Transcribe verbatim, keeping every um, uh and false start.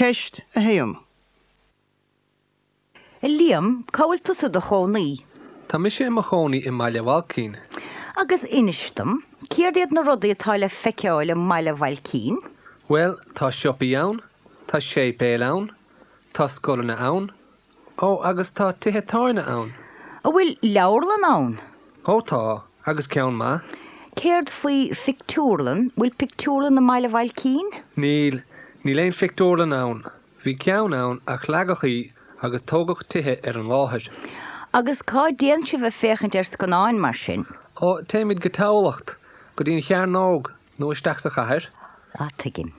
Ceist a haon. A Liam, cá bhfuil tusa i do chónaí? Tá mise i mo chónaí i mBaile Bhailcín. Agus inis dom, céard iad na rudaí atá le feiceáil i mBaile Bhailcín? Well, tá siopaí ann, tá séipéal ann, tá scoileanna ann, ó agus tá tithe tábhairne ann. An bhfuil leabharlann ann? Ó tá, agus ceann maith. Céard faoi phictiúrlann, bhfuil pictiúrlann i mBaile Bhailcín? Níl, níl aon phictiúrlann ann. Bhí ceann ann ach leagadh í agus tógadh tithe ar an láthair. Agus cá dtéann sibh ag féachaint ar scannáin mar sin? Ó téimid go Tamhlacht, go dtí an Chearnóg nó isteach sa chathair. Á tuigim.